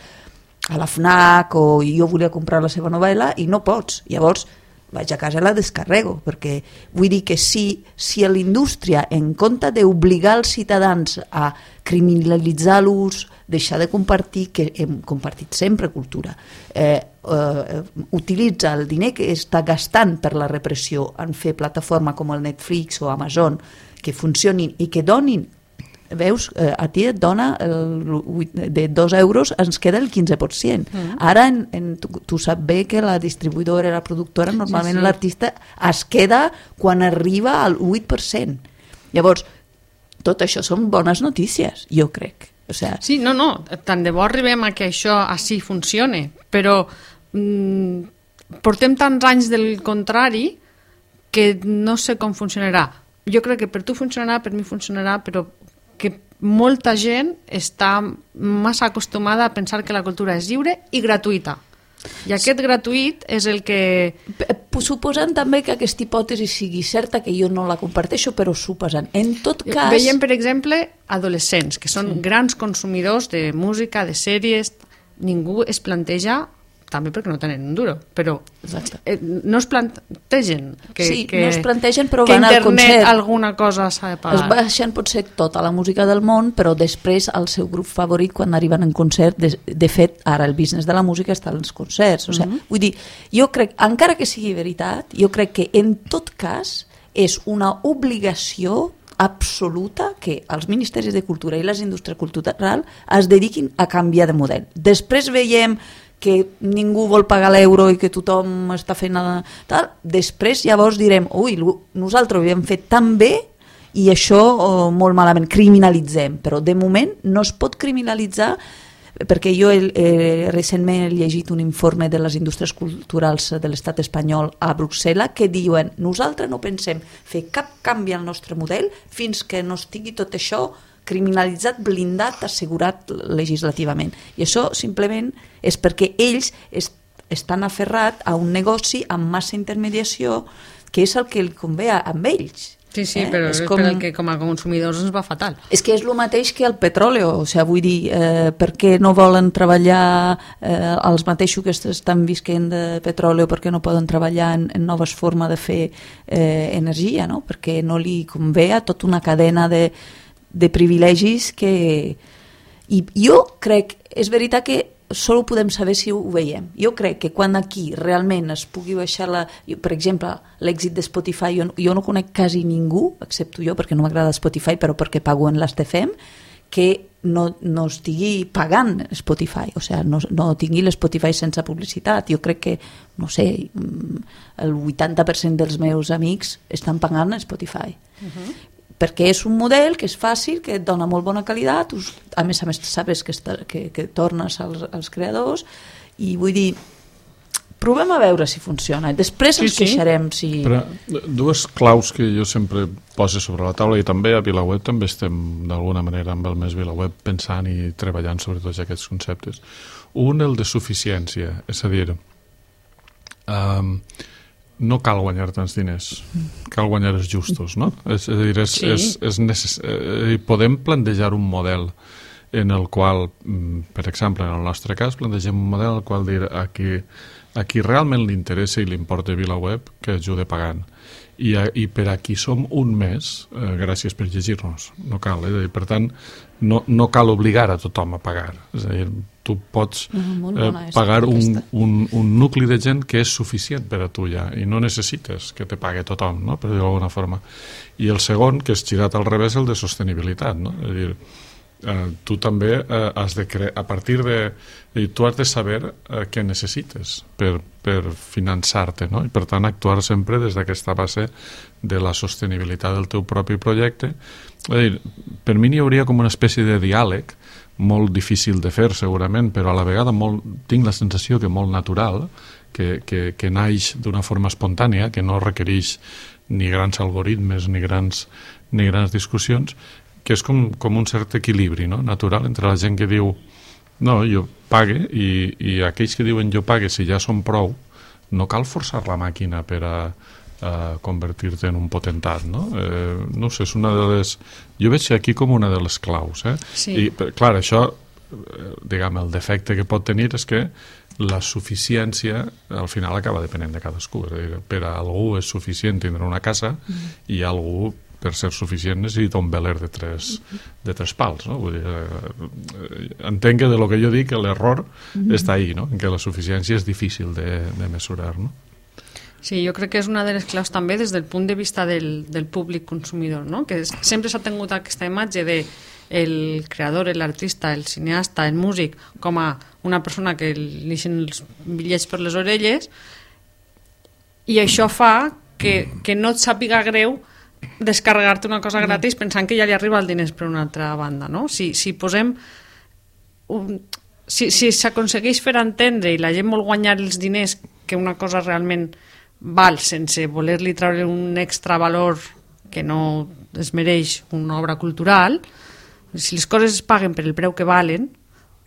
a la FNAC o jo volia comprar la seva novel·la i no pots, llavors vaig a casa i la descarrego, perquè vull dir que si, si a l'indústria, en compte d'obligar els ciutadans a criminalitzar l'ús, deixar de compartir, que hem compartit sempre cultura, eh, eh, utilitza el diner que està gastant per la repressió en fer plataforma com el Netflix o Amazon, que funcionin i que donin, veus, eh, a ti et dona el, de dos euros ens queda el quinze per cent. Mm. Ara en, en, tu, tu saps bé que la distribuïdora i la productora normalment sí, sí. l'artista es queda quan arriba al vuit per cent. Llavors, tot això són bones notícies, jo crec. O sea, sí, no, no, tant de bo arribem a que això així funcione, però mm, portem tants anys del contrari que no sé com funcionarà. Jo crec que per tu funcionarà, per mi funcionarà, però que molta gent està massa acostumada a pensar que la cultura és lliure i gratuïta. I aquest gratuït és el que suposant també que aquesta hipòtesi sigui certa, que jo no la comparteixo, però suposant. En tot cas... Veiem, per exemple, adolescents, que són sí. grans consumidors de música, de sèries, ningú es planteja, també perquè no tenen un duro, però eh, no es plantegen que, sí, que, no es plantegen, però que van al internet concert. Alguna cosa s'ha de pagar. Es baixen potser tota la música del món, però després el seu grup favorit quan arriben en concert, de, de fet, ara el business de la música està als concerts. O sigui, mm-hmm. Vull dir, jo crec, encara que sigui veritat, jo crec que en tot cas és una obligació absoluta que els ministeris de cultura i les indústries culturals es dediquin a canviar de model. Després veiem que ningú vol pagar l'euro i que tothom està fent tal, després llavors direm, ui, nosaltres ho havíem fet tan bé i això oh, molt malament, criminalitzem, però de moment no es pot criminalitzar perquè jo he, eh, recentment he llegit un informe de les indústries culturals de l'estat espanyol a Brussel·les que diuen, nosaltres no pensem fer cap canvi al nostre model fins que no estigui tot això criminalitzat, blindat, assegurat legislativament. I això simplement és perquè ells est estan aferrats a un negoci amb massa intermediació que és el que li convé a ells. Sí, sí, eh? però és, és com... per el que com a consumidors ens va fatal. És que és el mateix que el petroli, o sigui, vull dir, eh, per què no volen treballar eh, els mateixos que estan visquent de petroli o per què no poden treballar en, en noves formes de fer eh, energia, no? Perquè no li convé a tota una cadena de de privilegis que... I jo crec, és veritat que sol podem saber si ho veiem. Jo crec que quan aquí realment es pugui baixar la... Per exemple, l'èxit de Spotify, jo, jo no conec quasi ningú, excepte jo, perquè no m'agrada Spotify, però perquè pago en l'A T F E M, que no, no estigui pagant Spotify, o sigui, no, no tingui l'Spotify sense publicitat. Jo crec que, no sé, el vuitanta per cent dels meus amics estan pagant Spotify. Uh-huh. Perquè és un model que és fàcil, que et dona molt bona qualitat, a més a més sabes que, està, que, que tornes als, als creadors, i vull dir, provem a veure si funciona, després ens sí, sí. queixarem si... Però dues claus que jo sempre poso sobre la taula, i també a VilaWeb també estem d'alguna manera amb el Més VilaWeb pensant i treballant sobre tots aquests conceptes. Un, el de suficiència, és a dir, um, no cal guanyar tants diners, cal guanyar els justos, no? És, és a dir, és, sí. és, és necess... eh, podem plantejar un model en el qual, per exemple, en el nostre cas, plantegem un model en el qual dir a qui, a qui realment li interessa i li importa VilaWeb que ajude pagant. I, a, i per a qui som un mes, eh, gràcies per llegir-nos, no cal, eh? Per tant, no, no cal obligar a tothom a pagar, és a dir, tu pots eh, pagar un, un, un nucli de gent que és suficient per a tu ja, i no necessites que te pague tothom, no? Per dir-ho d'alguna forma. I el segon, que és girat al revés, el de sostenibilitat, no? És a dir, eh, tu també eh, has de crear, a partir de... Eh, tu has de saber eh, què necessites per, per finançar-te, no? I per tant actuar sempre des d'aquesta base de la sostenibilitat del teu propi projecte. És a dir, per mi n'hi hauria com una espècie de diàleg molt difícil de fer segurament, però a la vegada molt, tinc la sensació que molt natural, que, que, que naix d'una forma espontània, que no requereix ni grans algoritmes ni grans, ni grans discussions, que és com, com un cert equilibri, no? Natural entre la gent que diu no, jo pague, i, i aquells que diuen jo pague, si ja són prou, no cal forçar la màquina per a a convertir-te en un potentat, no? Eh, no sé, és una de les... Jo veig aquí com una de les claus, eh? Sí. I, clar, això, diguem, el defecte que pot tenir és que la suficiència al final acaba depenent de cadascú. És a dir, per a algú és suficient tindre una casa mm. i algú, per ser suficient, necessita un veler de tres, de tres pals, no? Vull dir, eh, entenc que de lo que jo dic l'error mm. està ahí, no? En que la suficiència és difícil de, de mesurar, no? Sí, jo crec que és una de les claus també des del punt de vista del, del públic consumidor, no? Que és, sempre s'ha tingut aquesta imatge de el creador, l'artista, el cineasta, el músic, com a una persona que li deixen els bitllets per les orelles, i això fa que, que no et sàpiga greu descarregar-te una cosa gratis pensant que ja li arriba el diners per una altra banda, no? Si, si posem... Un, si si s'aconsegueix fer entendre i la gent vol guanyar els diners que una cosa realment val sense voler-li treure un extra valor que no es mereix una obra cultural, si les coses es paguen per el preu que valen,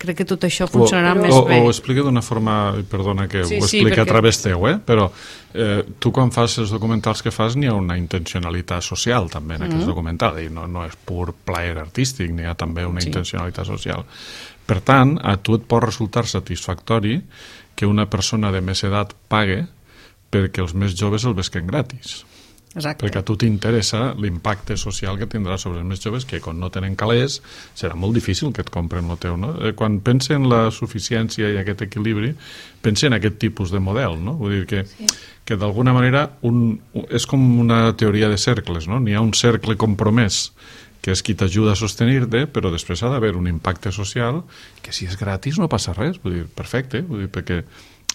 crec que tot això funcionarà o, més o, bé. O explica d'una forma, perdona que sí, ho sí, explica perquè... a través teu, eh? però eh, tu quan fas els documentals que fas n'hi ha una intencionalitat social també en mm. aquests documentals, i no, no és pur plaer artístic, n'hi ha també una sí. intencionalitat social. Per tant, a tu et pot resultar satisfactori que una persona de més edat pague perquè els més joves el vesquen gratis. Exacte. Perquè a tu t'interessa l'impacte social que tindrà sobre els més joves, que quan no tenen calés serà molt difícil que et compren el teu, no? Quan pensa en la suficiència i aquest equilibri, pensa en aquest tipus de model, no? Vull dir que, sí. que d'alguna manera un, és com una teoria de cercles, no? N'hi ha un cercle compromès que és qui t'ajuda a sostenir-te, però després ha d'haver un impacte social que si és gratis no passa res, vull dir, perfecte, vull dir, perquè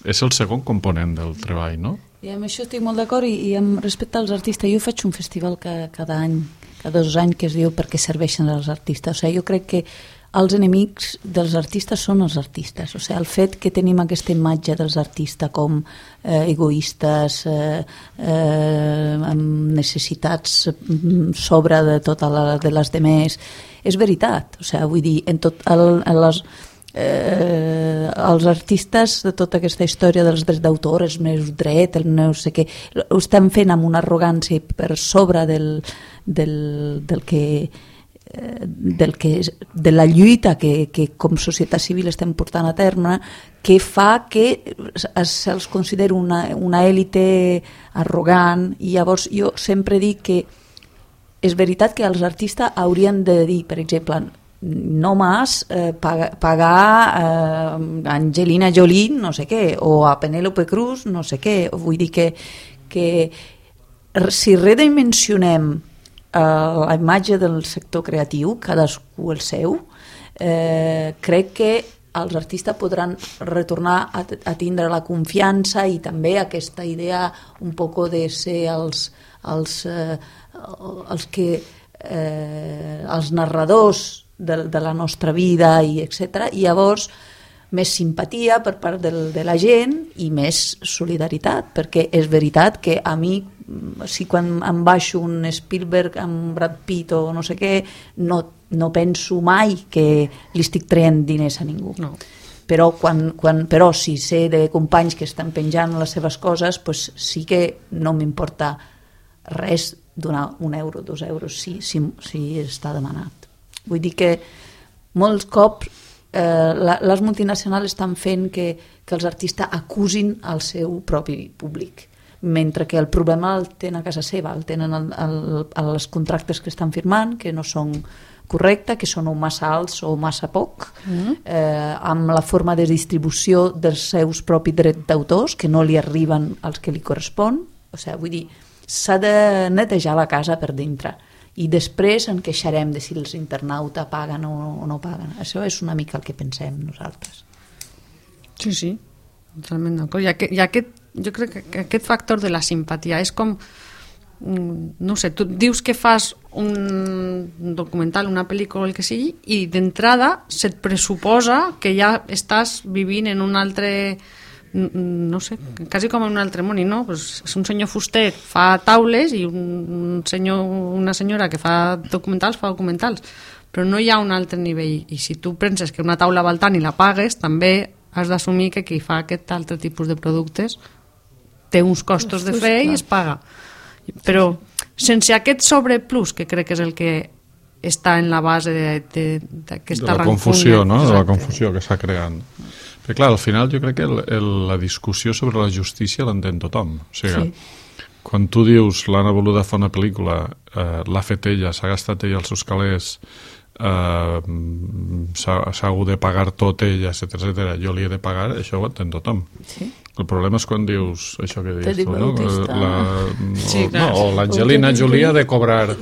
és el segon component del treball, no? I amb això estic molt d'acord, i, i amb respecte als artistes, jo faig un festival cada, cada any, cada dos anys, que es diu perquè serveixen als artistes. O sigui, jo crec que els enemics dels artistes són els artistes. O sigui, el fet que tenim aquesta imatge dels artistes com eh, egoistes, eh, eh, amb necessitats sobre de totes la, de les demés, és veritat. O sigui, vull dir, en tot el, en les... Eh, els artistes de tota aquesta història dels drets d'autor, els meus drets, el no sé què, ho estan fent amb una arrogància per sobre del, del, del que eh, del que de la lluita que, que com societat civil estem portant a terme, que fa que se'ls consideri una, una èlite arrogant. I llavors jo sempre dic que és veritat que els artistes haurien de dir, per exemple, no más eh, pagar, pagar eh, Angelina Jolie no sé què, o a Penélope Cruz no sé què. Vull dir que, que si redimensionem eh, la imatge del sector creatiu, cadascú el seu, eh, crec que els artistes podran retornar a, a tindre la confiança i també aquesta idea un poc de ser els, els, eh, els que eh, els narradors De, de la nostra vida i etcètera, i llavors més simpatia per part del, de la gent i més solidaritat, perquè és veritat que a mi, si quan em baixo un Spielberg amb Brad Pitt o no sé què, no, no penso mai que li estic traient diners a ningú. No. Però, quan, quan, però si sé de companys que estan penjant les seves coses, pues sí que no m'importa res donar un euro, dos euros, si, si, si està demanat. Vull dir que molts cops eh, la, les multinacionals estan fent que, que els artistes acusin el seu propi públic, mentre que el problema el tenen a casa seva, el tenen el, el, els contractes que estan firmant, que no són correctes, que són o massa alts o massa poc, mm. eh, amb la forma de distribució dels seus propis drets d'autors, que no li arriben als que li correspon. O sigui, vull dir, s'ha de netejar la casa per dintre. I després en queixarem de si els internautes paguen o, o no paguen. Això és una mica el que pensem nosaltres. Sí, sí, totalment d'acord. I aquest, i aquest, jo crec que aquest factor de la simpatia és com, no sé, tu dius que fas un documental, una pel·lícula, el que sigui, i d'entrada se't pressuposa que ja estàs vivint en un altre... no sé, quasi com en un altre món, i no, pues és un senyor fuster, fa taules, i un senyor, una senyora que fa documentals, fa documentals, però no hi ha un altre nivell, i si tu penses que una taula val tant i la pagues, també has d'assumir que qui fa aquest altre tipus de productes té uns costos de fer i es paga. Però sense aquest sobreplus, que crec que és el que està en la base d'aquesta de la confusió, no? De la confusió que està creant. Perquè, clar, al final jo crec que el, el, la discussió sobre la justícia l'entén tothom. O sigui, sí. Quan tu dius l'Anna Boluda fa una pel·lícula, eh, l'ha fet ella, s'ha gastat ella els seus calés, eh, s'ha hagut de pagar tot ella, etcètera, etcètera, jo li he de pagar, això ho entén tothom. Sí. El problema és quan dius això que dius, no? La, sí, no, o l'Angelina Jolie ha de cobrar...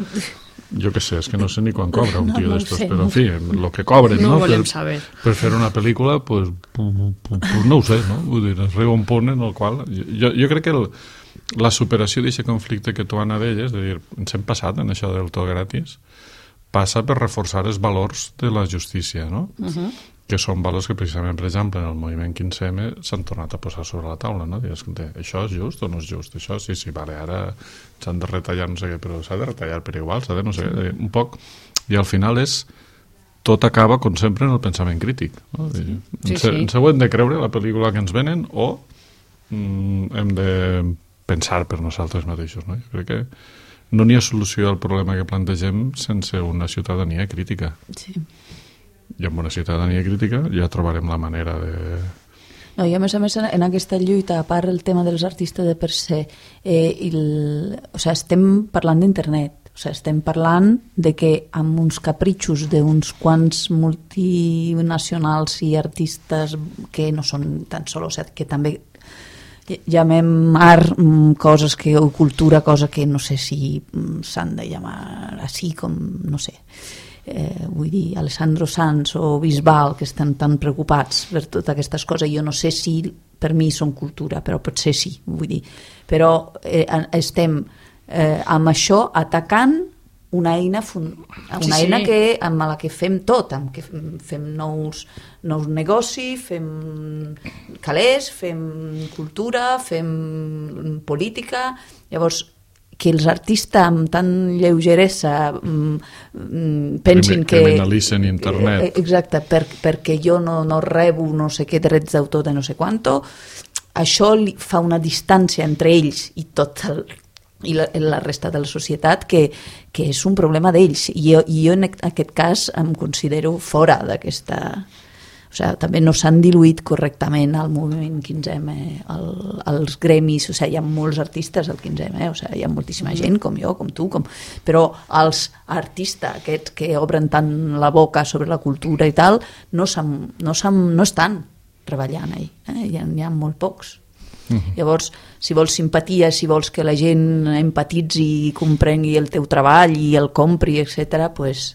Jo què sé, és que no sé ni quan cobra un tio no, no d'estos, sé, però en fi, el que cobren, no, no? volem per, saber. Per fer una pel·lícula, pues, pues no ho sé, no? Vull dir, arriba un punt en el qual... Jo, jo crec que el, la superació d'aquest conflicte que tu, Anna, deies, de dir, ens hem passat en això del tot gratis, passa per reforçar els valors de la justícia, no? Uh-huh. Que són valors que precisament, per exemple, en el moviment quinze eme s'han tornat a posar sobre la taula, no? Dius, això és just o no és just? Això sí, sí, vale, ara s'han de retallar no sé què, però s'ha de retallar per igual, s'ha de no sé què, un poc, i al final és tot acaba, com sempre, en el pensament crític. No? Sí, sí, sí. Ens ho hem de creure, la pel·lícula que ens venen, o mm, hem de pensar per nosaltres mateixos. No? Jo crec que no n'hi ha solució al problema que plantegem sense una ciutadania crítica. Sí. I amb una ciutadania crítica ja trobarem la manera de... No, i a més a més en aquesta lluita, a part el tema dels artistes de per se, eh, el, o sigui, estem parlant d'internet. O sigui, estem parlant de que amb uns capritxos d'uns quants multinacionals i artistes que no són tan sols, o sigui, que també llamem art coses que, o cultura, cosa que no sé si s'han de llamar així com, no sé, eh, vull dir, Alessandro Sanz o Bisbal, que estan tan preocupats per totes aquestes coses. Jo no sé si per mi són cultura, però potser sí, vull dir. Però eh, estem eh, amb això atacant una eina, una sí, eina sí. Que, amb la que fem tot, amb què fem nous, nous negocis, fem calés, fem cultura, fem política. Llavors, que els artistes amb tan lleugeresa mm, pensin que... Criminalitzen internet. Eh, exacte, per, perquè jo no, no rebo no sé què drets d'autor de no sé quanto, això li fa una distància entre ells i tot el i la, la resta de la societat que, que és un problema d'ells i jo, i jo en aquest cas em considero fora d'aquesta, o sigui, també no s'han diluït correctament al moviment quinze eme, el, els gremis, o sigui, hi ha molts artistes al quinze eme, o sigui, hi ha moltíssima gent com jo, com tu, com... però els artistes aquests que obren tant la boca sobre la cultura i tal no, no, no estan treballant ahí, eh? hi, ha, hi ha molt pocs. Uh-huh. Llavors, si vols simpatia, si vols que la gent empatitzi i comprengui el teu treball i el compri, etcètera, pues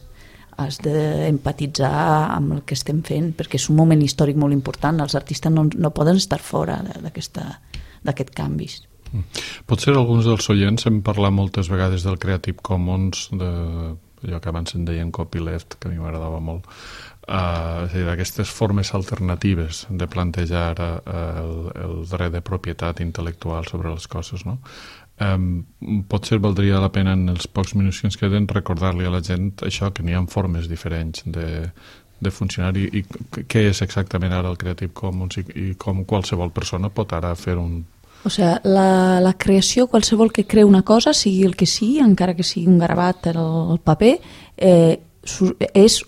has d'empatitzar amb el que estem fent, perquè és un moment històric molt important. Els artistes no, no poden estar fora d'aquest canvi. Uh-huh. Potser alguns dels oients hem parlat moltes vegades del Creative Commons, de allò que abans en deien copyleft, que a mi m'agradava molt. Uh, és a dir, d'aquestes formes alternatives de plantejar uh, el, el dret de propietat intel·lectual sobre les coses, no? Um, potser valdria la pena en els pocs minuts que ens queden recordar-li a la gent això, que n'hi ha formes diferents de, de funcionar i, i què és exactament ara el Creative Commons i, i com qualsevol persona pot ara fer un... O sigui, la, la creació, qualsevol que creu una cosa, sigui el que sigui, encara que sigui un gravat al paper, eh, és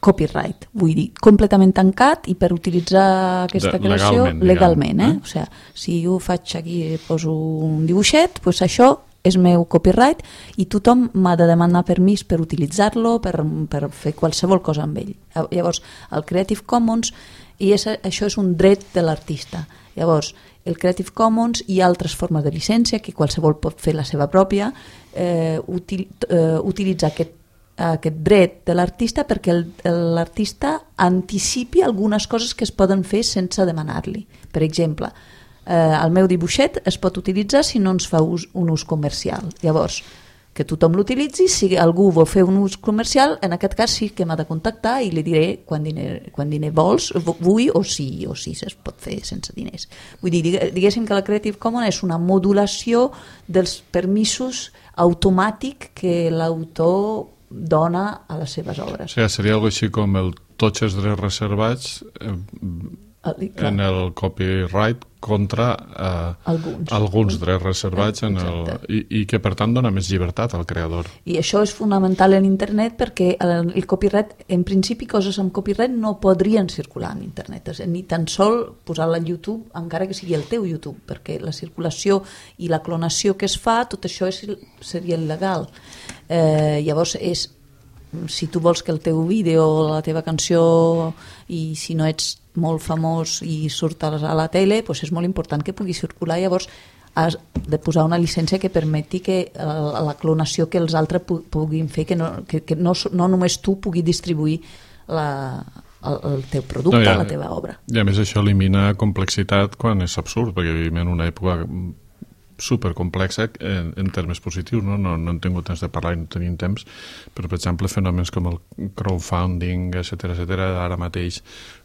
copyright, vull dir, completament tancat i per utilitzar aquesta de, creació legalment, legalment eh? Eh? O sigui, si jo faig aquí, poso un dibuixet, doncs això és meu copyright i tothom m'ha de demanar permís per utilitzar-lo, per, per fer qualsevol cosa amb ell. Llavors, el Creative Commons, i és, això és un dret de l'artista. Llavors, el Creative Commons i altres formes de llicència, que qualsevol pot fer la seva pròpia, eh, util, eh, utilitza aquest aquest dret de l'artista perquè l'artista anticipi algunes coses que es poden fer sense demanar-li. Per exemple, eh, el meu dibuixet es pot utilitzar si no ens fa ús, un ús comercial. Llavors, que tothom l'utilitzi, si algú vol fer un ús comercial, en aquest cas sí que m'ha de contactar i li diré quan diner, quan diner vols, vull o si, o si es pot fer sense diners. Vull dir, diguéssim que la Creative Commons és una modulació dels permisos automàtic que l'autor dona a les seves obres. O sigui, seria algo així com el tots els drets reservats eh, en el copyright contra eh, alguns. alguns drets reservats en el, i, i que per tant dona més llibertat al creador. I això és fonamental en internet perquè el, el copyright, en principi coses amb copyright no podrien circular en internet, ni tan sol posar-la al YouTube, encara que sigui el teu YouTube, perquè la circulació i la clonació que es fa, tot això és, seria il·legal. Eh, llavors és, si tu vols que el teu vídeo o la teva canció, i si no ets molt famós i surt a la tele, doncs és molt important que pugui circular. Llavors has de posar una llicència que permeti que la, la clonació que els altres pu puguin fer, que, no, que, que no, no només tu pugui distribuir la, el, el teu producte, no, ja, la teva obra. I a més això elimina complexitat quan és absurd, perquè vivim en una època supercomplexa en, en termes positius, no? No, no hem tingut temps de parlar i no tenim temps, però per exemple fenòmens com el crowdfunding, etcètera, etcètera, ara mateix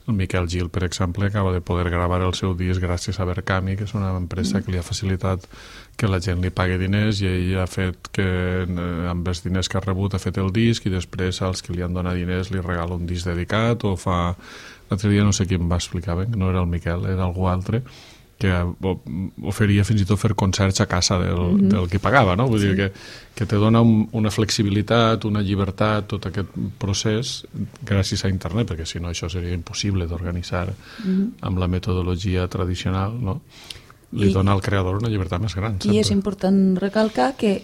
el Miquel Gil, per exemple, acaba de poder gravar el seu disc gràcies a Berkami, que és una empresa que li ha facilitat que la gent li pagui diners i ell ha fet que amb els diners que ha rebut ha fet el disc i després als que li han donat diners li regala un disc dedicat o fa... L'altre dia no sé qui em va explicar, ben, no era el Miquel, era algú altre, que oferia fins i tot fer concerts a casa del, mm-hmm. del que pagava, no? Vull sí. dir que, que te dona un, una flexibilitat, una llibertat, tot aquest procés gràcies a internet, perquè si no això seria impossible d'organitzar mm-hmm. amb la metodologia tradicional, no? Li I, dona al creador una llibertat més gran. Sempre. I és important recalcar que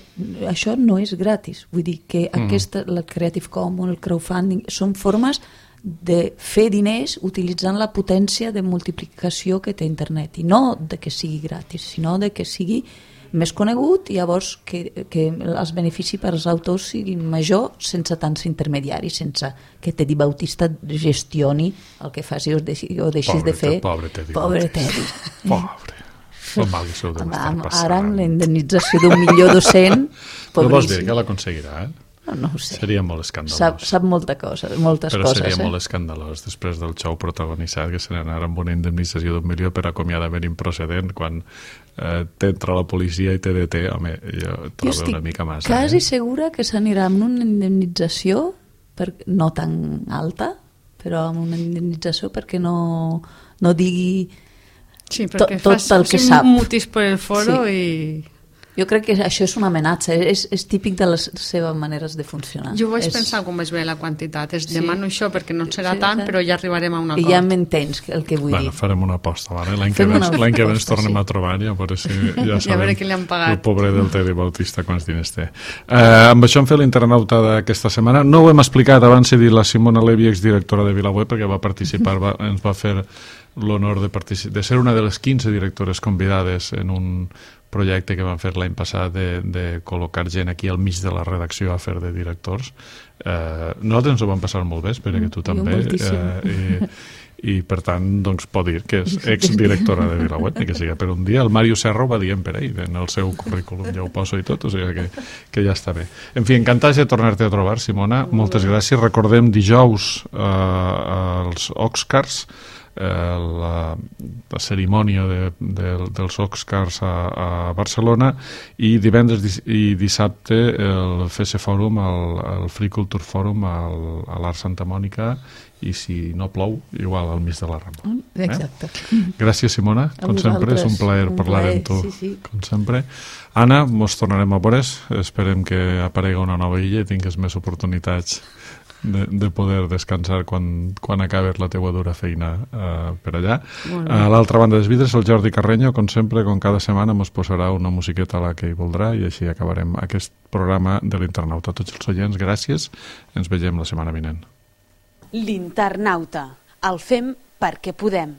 això no és gratis. Vull dir que mm. aquesta, la Creative Commons, el crowdfunding, són formes de fer diners utilitzant la potència de multiplicació que té internet, i no de que sigui gratis, sinó de que sigui més conegut i llavors que, que els beneficis per als autors siguin major sense tants intermediaris, sense que Teddy Bautista gestioni el que faci o deixi, o deixis pobre, de fer. Pobre Teddy. Pobre Teddy. Pobre. Amb, ara amb la indemnització d'un milió dos-cents, pobríssim. No vols dir que l'aconseguirà, eh? No, no ho sé. Seria molt escandalós. Sap, sap molta cosa, moltes Però coses. Però seria eh? molt escandalós després del xou protagonitzat que se n'anara amb una indemnització d'un milió per acomiadament improcedent quan eh, t'entra la policia i te deté. Home, jo trobo jo una mica massa. Quasi eh? segura que s'anirà amb una indemnització per, no tan alta, però amb una indemnització perquè no, no digui sí, perquè tot, tot el que sap. Mutis per el foro sí. i... Jo crec que això és una amenaça, és, és típic de les seves maneres de funcionar. Jo vaig és... pensar com es ve la quantitat, es sí. demano això perquè no serà sí, tant, però ja arribarem a un acord. I ja m'entens el que vull bueno, dir. Farem una aposta, vale? L'any que, ve, l'any que ve ens tornem sí. a trobar i a veure si ja sabem a veure qui li han pagat. El pobre del Teddy Bautista quants diners té. Uh, amb això hem fet l'internauta d'aquesta setmana. No ho hem explicat, abans he dit la Simona Levi, exdirectora de VilaWeb, perquè va participar, va, ens va fer l'honor de, de ser una de les quinze directores convidades en un projecte que vam fer l'any passat de, de col·locar gent aquí al mig de la redacció a fer de directors. Eh, nosaltres ens ho vam passar molt bé, espero que tu també. Eh, i, I per tant, doncs, pot dir que és exdirectora de VilaWeb, ni que sigui per un dia. El Mario Serra ho va dir per ell, en el seu currículum ja ho poso i tot, o sigui que, que ja està bé. En fi, encantats de tornar-te a trobar, Simona. Moltes gràcies. Recordem dijous eh, els Oscars, La, la cerimònia de, de, dels Oscars a, a Barcelona i divendres i dissabte el F S Fòrum, el, el Free Culture Forum al, a l'Art Santa Mònica i si no plou, igual al mig de la Rambla. Exacte. Eh? Gràcies, Simona. Com sempre, és un plaer un parlar plaer, amb tu. Sí, sí. Com sempre. Anna, mos tornarem a veure. Esperem que aparega una nova illa i tingues més oportunitats De, de poder descansar quan, quan acabes la teua dura feina uh, per allà. A l'altra banda dels vidres, el Jordi Carreño, com sempre, com cada setmana, ens posarà una musiqueta a la que hi voldrà i així acabarem aquest programa de l'Internauta. A tots els oients, gràcies. Ens veiem la setmana vinent. L'Internauta. El fem perquè podem.